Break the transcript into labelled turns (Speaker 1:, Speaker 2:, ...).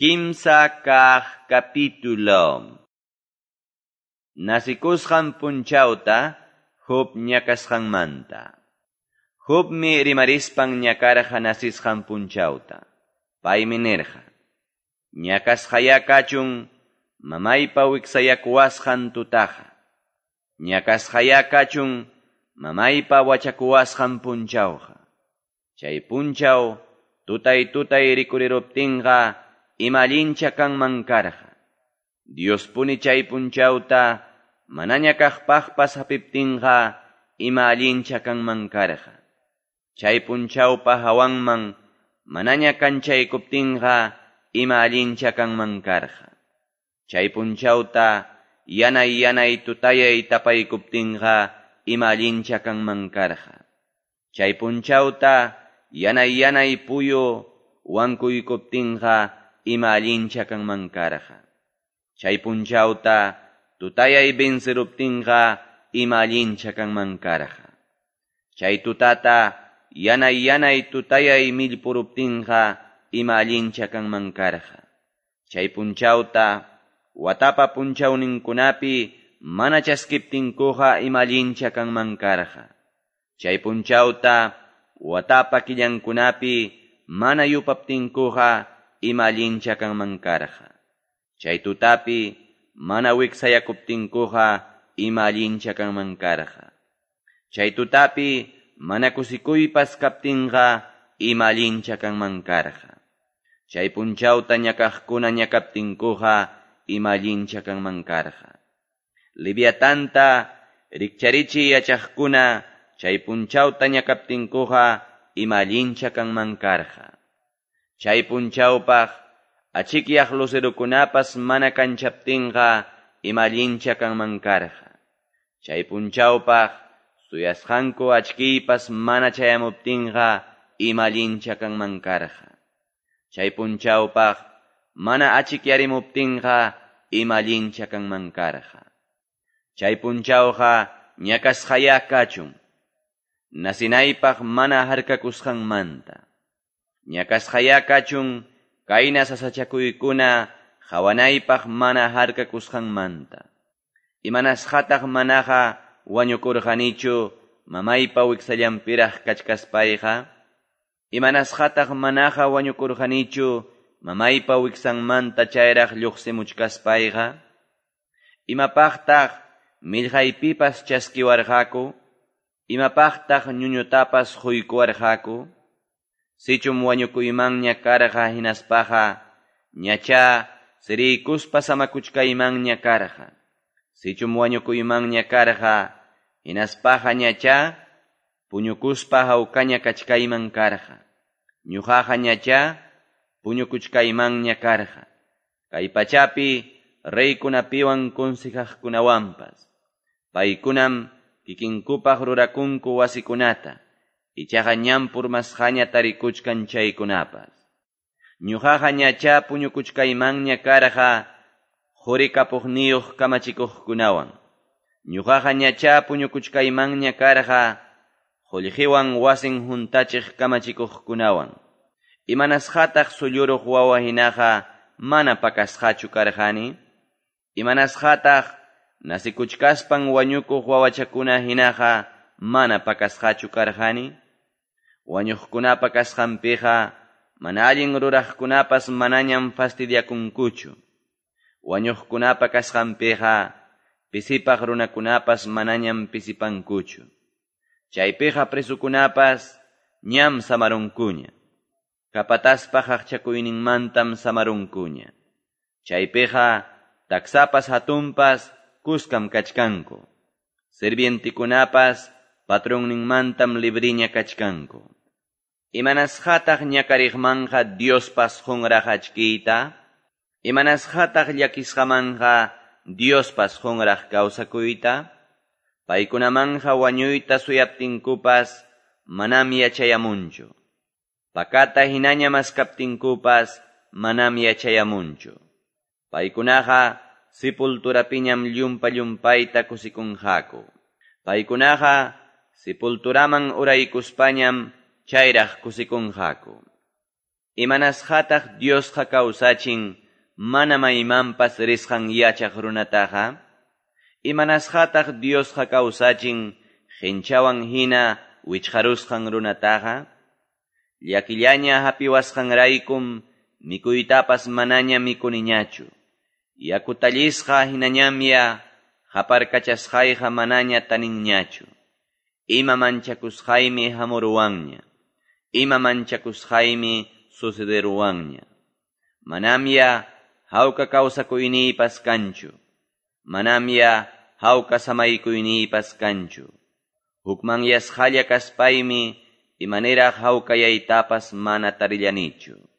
Speaker 1: Kimsa kaq capítulo. Nasikusqan punchawta Job ñakasqanmanta. Jobmi rimarispan ñakarqa nasisqan punchawta. Paymi nirqa: Ñakasqaya kachun mamaypa wiksayakuwasqan tutaqa. Ñakasqaya kachun mamaypa wachakuwasqan punchawqa. Chay punchaw tutay tutay rikuriruptinqa ima allincha kanman karqa. Diospuni chay punchawta manaña kaqpaqpas hapiptinqa ima allincha kanman karqa. Chay punchawpa hawanman manaña kanchaykuptinqa ima allincha kanman karqa. Chay punchawta yanay yanay tutayay tapaykuptinqa ima allincha kanman karqa. Chay punchawta yanay yanay puyu wankuykuptinqa ima allincha kanman karqa. Chay punchawta tutayay venceruptinqa ima allincha kanman karqa. Chay tutata yanay yanay tutayay millpuruptinqa ima allincha kanman karqa. Chay punchawta watapa punchawninkunapi mana chaskiptinkuqa ima allincha kanman karqa. Chay punchawta watapa killankunapi mana yupaptinkuqa ima allincha kanman karqa. Chay tutapi mana wiksayakuptinkuqa ima allincha kanman karqa. Chay tutapi mana kusikuypas kaptinqa ima allincha kanman karqa. Chay punchawta ñakaqkuna ñakaptinkuqa ima allincha kanman karqa. Leviatanta rikcharichi yachaqkuna chay punchawta ñakaptinkuqa ima allincha kanman karqa. Chay punchawpaq achikyaq lucerukunapas mana kanchaptinqa ima allincha kanman karqa. Chay punchawpaq suyasqanku achkiypas mana chayamuptinqa ima allincha kanman karqa. Chay punchawpaq mana achikyarimuptinqa ima allincha kanman karqa. Chay punchawqa ñakasqaya kachun nasinaypaq mana harkakusqanmanta. Ñakasqaya kachun kayna sasachakuykuna qawanaypaq mana harkakusqanmanta. Imanasqataq manaqa wañukurqanichu mamaypa wiksallanpiraq kachkaspayqa? Imanasqataq manaqa wañukurqanichu mamaypa wiksanmanta chayraq lluqsimuchkaspayqa? Imapaqtaq millqaypipas chaskiwarqaku? Imapaqtaq ñuñutapas quykuwarqaku? Sichum wañukuymanña karqa hinaspaqa ñacha siriykuspa samakuchkaymanña karqa. Sichum wañukuymanña karqa hinaspaqa ñacha puñukuspa hawkaña kachkayman karqa. Ñuqaqa ñacha puñukuchkaymanña karqa. Kay pachapi reykunapiwan consejaqkunawanpas. Paykunam kikinkupaq rurakunku wasikunata. Ichaqa ñam purmasqaña tarikuchkan chaykunapas. Ñuqaqa ñacha puñukuchkaymanña karqa quri kapuqniyuq kamachikuqkunawan. Ñuqaqa ñacha puñukuchkaymanña karqa qullqiwan wasin huntachiq kamachikuqkunawan. Imanasqataq sulluruq wawa hinaqa mana pakasqachu karqani? Imanasqataq nasikuchkaspan wañukuq wawachakuna hinaqa mana pakasqachu karqani? Wañuqkunapa kasqanpiqa mana allin ruraqkunapas manañam fastidiakunkuchu. Wañuqkunapa kasqanpiqa pisipaq runakunapas manañam pisipankuchu. Chaypiqa presukunapas ñam samarunkuña. Kapataspa qaqchakuyninmantam samarunkuña. Chaypiqa taksapas hatunpas kuskam kachkanku. Sirvientikunapas patronninmantam libriña kachkanku. Imanasqataq ñakariqmanqa Diospas qunraq achkiyta? Imanasqataq llakisqamanqa Diospas qunraq kawsakuyta? Paykunamanqa wañuyta suyaptinkupas manam yachayamunchu. Pakata hinaña maskaptinkupas manam yachayamunchu. Paykunaqa sepulturapiñam llumpa llumpayta kusikunqaku. Paykunaqa sepulturaman uraykuspañam chayraq kusikunqaku. Imanasqataq Diosqa kawsachin mana maymanpas risqan yachaq runataqa? Imanasqataq Diosqa kawsachin qenchawan hina wichqarusqan runataqa? Llakillaña hapiwasqanraykum mikuytapas manaña mikuniñachu. Yakutallisqa hinañamya qaparkachasqayqa manaña taninñachu. Ima manchakusqaymi hamuruwanña. Ima manchakusqaymi sucederuwanña. Manamya hawka kawsakuyniypas kanchu. Manamya hawka samaykuynipas kanchu. Hukmanyasqalla kaspaymi imaniraq hawkayaytapas mana tarillanichu.